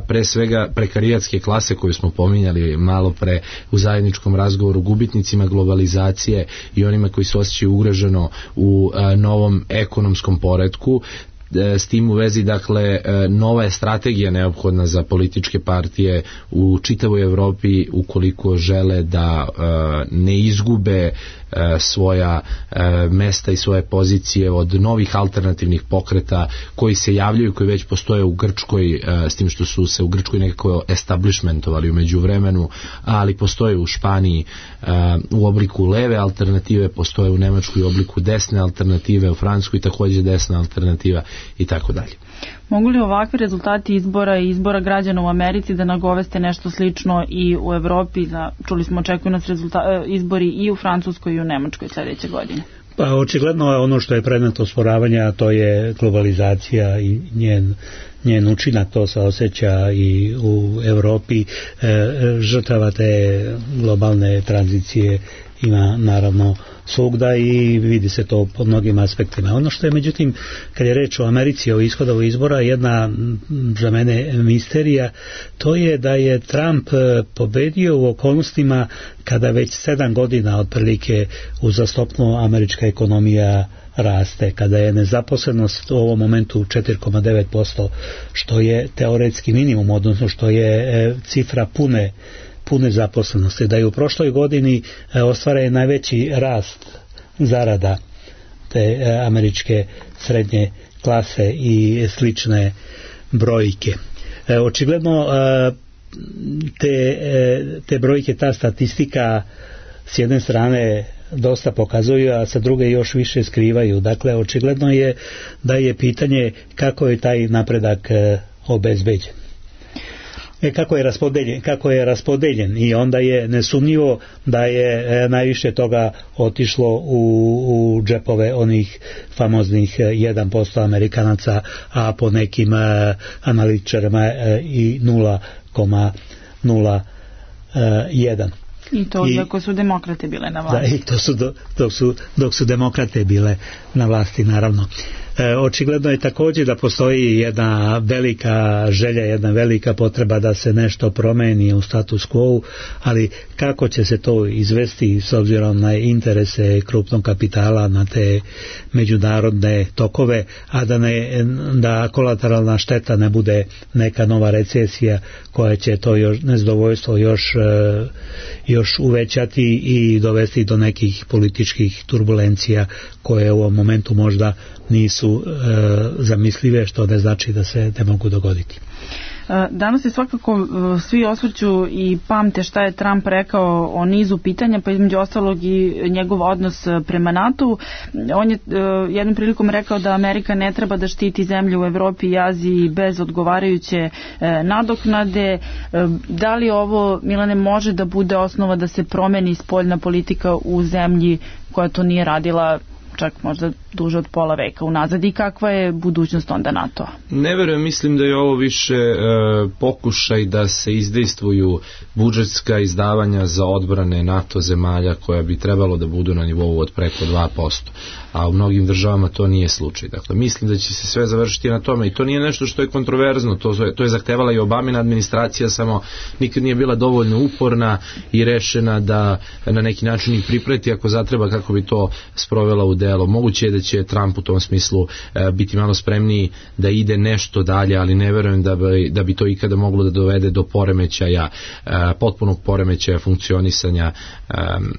pre svega prekarijatske klase koju smo pominjali malo pre u zajedničkom razgovoru, gubitnicima globalizacije i onima koji se osjećaju ugroženo u novom ekonomskom poretku. S tim u vezi, dakle, nova je strategija neophodna za političke partije u čitavoj Evropi ukoliko žele da ne izgube svoja mesta i svoje pozicije od novih alternativnih pokreta koji se javljaju, koji već postoje u Grčkoj, s tim što su se u Grčkoj nekako establishmentovali u međuvremenu, ali postoje u Španiji u obliku leve alternative, postoje u Nemačkoj u obliku desne alternative, u Francuskoj takođe desna alternativa i tako dalje. Mogu li ovakvi rezultati izbora i izbora građana u Americi da nagoveste nešto slično i u Evropi? Čuli smo, očekuju nas izbori i u Francuskoj i u Nemačkoj sljedeće godine. Pa očigledno je ono što je predmet osporavanja, to je globalizacija i njen učinak, to se osjeća i u Evropi. Žrtava te globalne tranzicije ima naravno svugda i vidi se to po mnogim aspektima. Ono što je međutim, kad je reč o Americi, o ishodu izbora, jedna za mene misterija, to je da je Trump pobedio u okolnostima kada već 7 godina otprilike uzastopno američka ekonomija raste, kada je nezaposlenost u ovom momentu 4,9%, što je teoretski minimum, odnosno što je cifra pune zaposlenosti, da je u prošloj godini ostvaren najveći rast zarada te američke srednje klase i slične brojke. Očigledno te brojke, ta statistika s jedne strane dosta pokazuju, a sa druge još više skrivaju. Dakle, očigledno je da je pitanje kako je taj napredak obezbeđen. kako je raspodeljen i onda je nesumnjivo da je najviše toga otišlo u džepove onih famoznih 1% Amerikanaca, a po nekim analitičarima i 0,01. I to iako su demokrate bile na vlasti. Da, i to su dok su demokrate bile na vlasti, naravno. Očigledno je također da postoji jedna velika želja, jedna velika potreba da se nešto promeni u status quo, ali kako će se to izvesti s obzirom na interese krupnog kapitala, na te međunarodne tokove, a da kolateralna šteta ne bude neka nova recesija koja će to nezadovoljstvo još uvećati i dovesti do nekih političkih turbulencija koje u ovom momentu možda nisu zamislive, što ne znači da se ne mogu dogoditi. Danas se svakako svi osvrću i pamte šta je Trump rekao o nizu pitanja, pa između ostalog i njegov odnos prema NATO-u. On je jednom prilikom rekao da Amerika ne treba da štiti zemlje u Evropi i Aziji bez odgovarajuće nadoknade. Da li ovo, Milane, može da bude osnova da se promeni spoljna politika u zemlji koja to nije radila čak možda duže od pola veka unazad, i kakva je budućnost onda NATO-a? Ne verujem, mislim da je ovo više pokušaj da se izdejstvuju budžetska izdavanja za odbrane NATO zemalja koja bi trebalo da budu na nivou od preko 2%, a u mnogim državama to nije slučaj. Dakle, mislim da će se sve završiti na tome i to nije nešto što je kontroverzno, to je zahtevala i Obamina administracija, samo nikad nije bila dovoljno uporna i rešena da na neki način ih pripreti ako zatreba kako bi to sprovela u delo. Moguće je da će Trump u tom smislu biti malo spremniji da ide nešto dalje, ali ne verujem da bi to ikada moglo da dovede do poremećaja, potpunog poremećaja funkcionisanja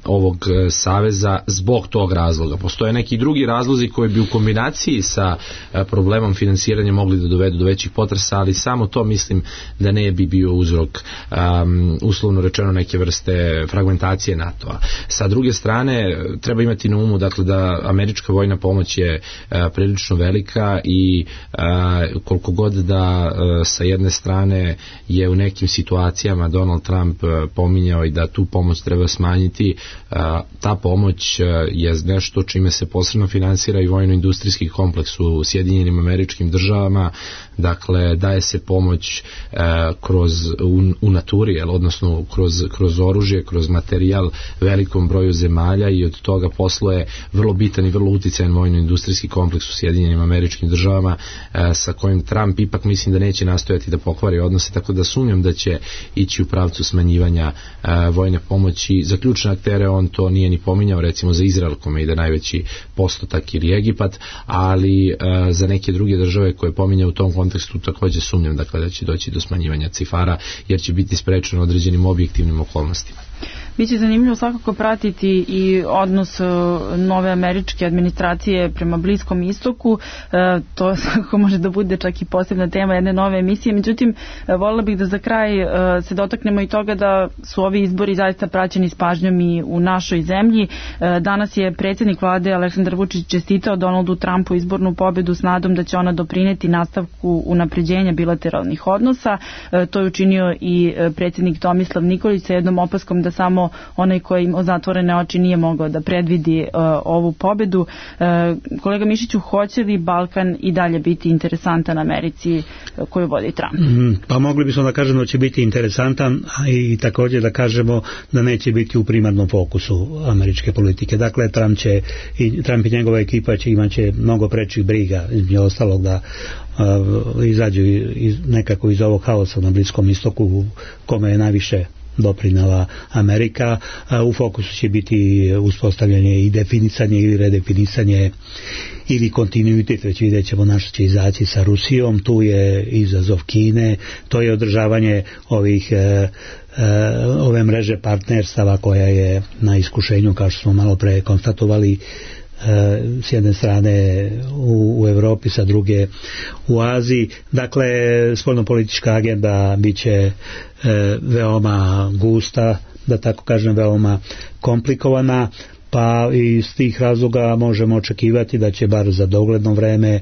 ovog saveza zbog tog razloga. Postoje neki drugi razlozi koji bi u kombinaciji sa problemom finansiranja mogli da dovedu do većih potresa, ali samo to mislim da ne bi bio uzrok, uslovno rečeno, neke vrste fragmentacije NATO-a. Sa druge strane, treba imati na umu, dakle, da američka vojna pomoć je prilično velika i koliko god da sa jedne strane je u nekim situacijama Donald Trump pominjao i da tu pomoć treba smanjiti, ta pomoć je nešto čime se posebno finansira i vojno-industrijski kompleks u Sjedinjenim Američkim Državama. Dakle, daje se pomoć u naturi, odnosno kroz oružje, kroz materijal velikom broju zemalja i od toga posluje vrlo bitan i vrlo uticajan vojno-industrijski kompleks u Sjedinjenim Američkim Državama sa kojim Trump ipak mislim da neće nastojati da pokvari odnose, tako da sumnjam da će ići u pravcu smanjivanja vojne pomoći. Za ključne aktere on to nije ni pominjao, recimo za Izrael kome ide najveći postotak ili Egipat, ali za neke druge države koje pominjao u tom kontekstu također sumnjam da će doći do smanjivanja cifara, jer će biti sprečeno određenim objektivnim okolnostima. Biće zanimljivo svakako pratiti i odnos nove američke administracije prema Bliskom istoku. To svakako može da bude čak i posebna tema jedne nove emisije. Međutim, voljela bih da za kraj se dotaknemo i toga da su ovi izbori zaista praćeni s pažnjom i u našoj zemlji. Danas je predsjednik vlade Aleksandar Vučić čestitao Donaldu Trumpu izbornu pobedu s nadom da će ona doprineti nastavku unapređenja bilateralnih odnosa. To je učinio i predsjednik Tomislav Nikolić sa jednom opaskom da samo onaj koji ima zatvorene oči nije mogao da predvidi ovu pobedu. Kolega Mišiću, hoće li Balkan i dalje biti interesantan Americi koju vodi Trump? Pa mogli bismo da kažemo da će biti interesantan i također da kažemo da neće biti u primarnom fokusu američke politike. Dakle, Trump i njegova ekipa imaće mnogo prečih briga, između ostalog da izađu nekako iz ovog haosa na Bliskom istoku kome je najviše doprinela Amerika. U fokusu će biti uspostavljanje i definisanje ili redefinisanje ili kontinuitet, već vidjet ćemo na što će izaći sa Rusijom, tu je izazov Kine, to je održavanje ove mreže partnerstava koja je na iskušenju, kao što smo malo pre konstatovali, s jedne strane u Evropi, sa druge u Aziji. Dakle, spoljnopolitička agenda biće veoma gusta, da tako kažem, veoma komplikovana, pa iz tih razloga možemo očekivati da će bar za dogledno vreme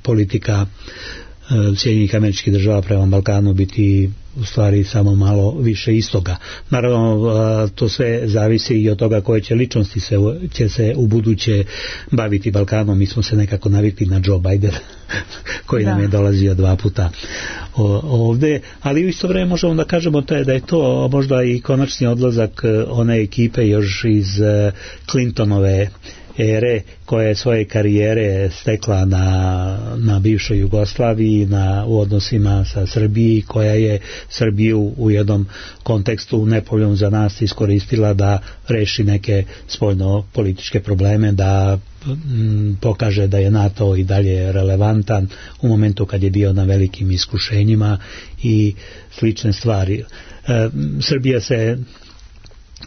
politika Sjedinjenih Američkih Država prema Balkanu biti u stvari samo malo više istoga. Naravno, to sve zavisi i od toga koje će ličnosti će se u buduće baviti Balkanom. Mi smo se nekako navikli na Joe Biden koji nam je dolazio 2 puta ovde, ali u isto vreme možemo da kažemo da je to možda i konačni odlazak one ekipe još iz Clintonove ere koja je svoje karijere stekla na bivšoj Jugoslaviji, u odnosima sa Srbiji, koja je Srbiju u jednom kontekstu nepovoljnom za nas iskoristila da reši neke spoljno-političke probleme, da pokaže da je NATO i dalje relevantan u momentu kad je bio na velikim iskušenjima i slične stvari. Srbija se,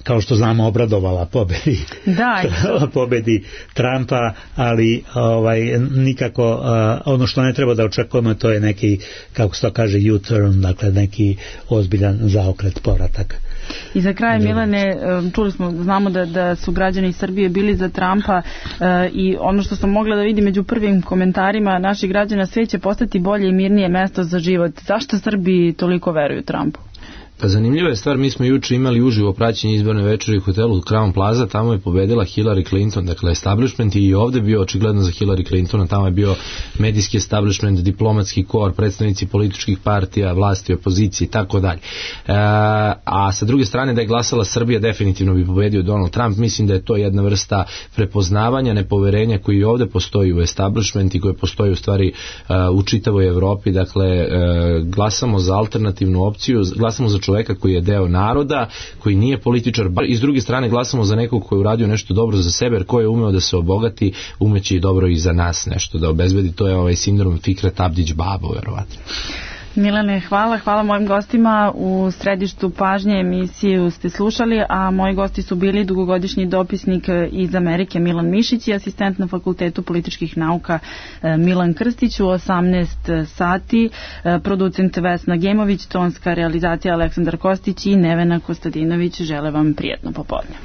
kao što znamo, obradovala pobedi Trumpa, ali nikako ono što ne treba da očekujemo, to je neki, kako se to kaže, U-turn, dakle neki ozbiljan zaokret, povratak. I za kraj, Milane, znamo da su građani Srbije bili za Trumpa i ono što sam mogla da vidim među prvim komentarima naših građana, sve će postati bolje i mirnije mesto za život. Zašto Srbi toliko veruju Trumpu? Pa zanimljiva je stvar, mi smo juče imali uživo praćenje izborne večeri u hotelu Crown Plaza, tamo je pobedila Hillary Clinton, dakle establishment je i ovde bio očigledno za Hillary Clintona, tamo je bio medijski establishment, diplomatski kor, predstavnici političkih partija, vlasti, opozicije i tako dalje. A sa druge strane, da je glasala Srbija, definitivno bi pobedio Donald Trump. Mislim da je to jedna vrsta prepoznavanja, nepoverenja koji ovde postoji u establishment i koji postoji u stvari u čitavoj Evropi. Dakle, glasamo za alternativnu opciju, glasamo za čoveka koji je deo naroda, koji nije političar, i s druge strane glasamo za nekog koji je uradio nešto dobro za sebe, jer ko je umeo da se obogati, umeće i dobro i za nas nešto da obezbedi. To je sindrom Fikret Abdić Babo, verovatno. Milane, hvala mojim gostima. U središtu pažnje emisiju ste slušali, a moji gosti su bili dugogodišnji dopisnik iz Amerike Milan Mišić i asistent na Fakultetu političkih nauka Milan Krstić. U 18 sati producent Vesna Gemović, tonska realizacija Aleksandar Kostić i Nevena Kostadinović. Žele vam prijetno popodne.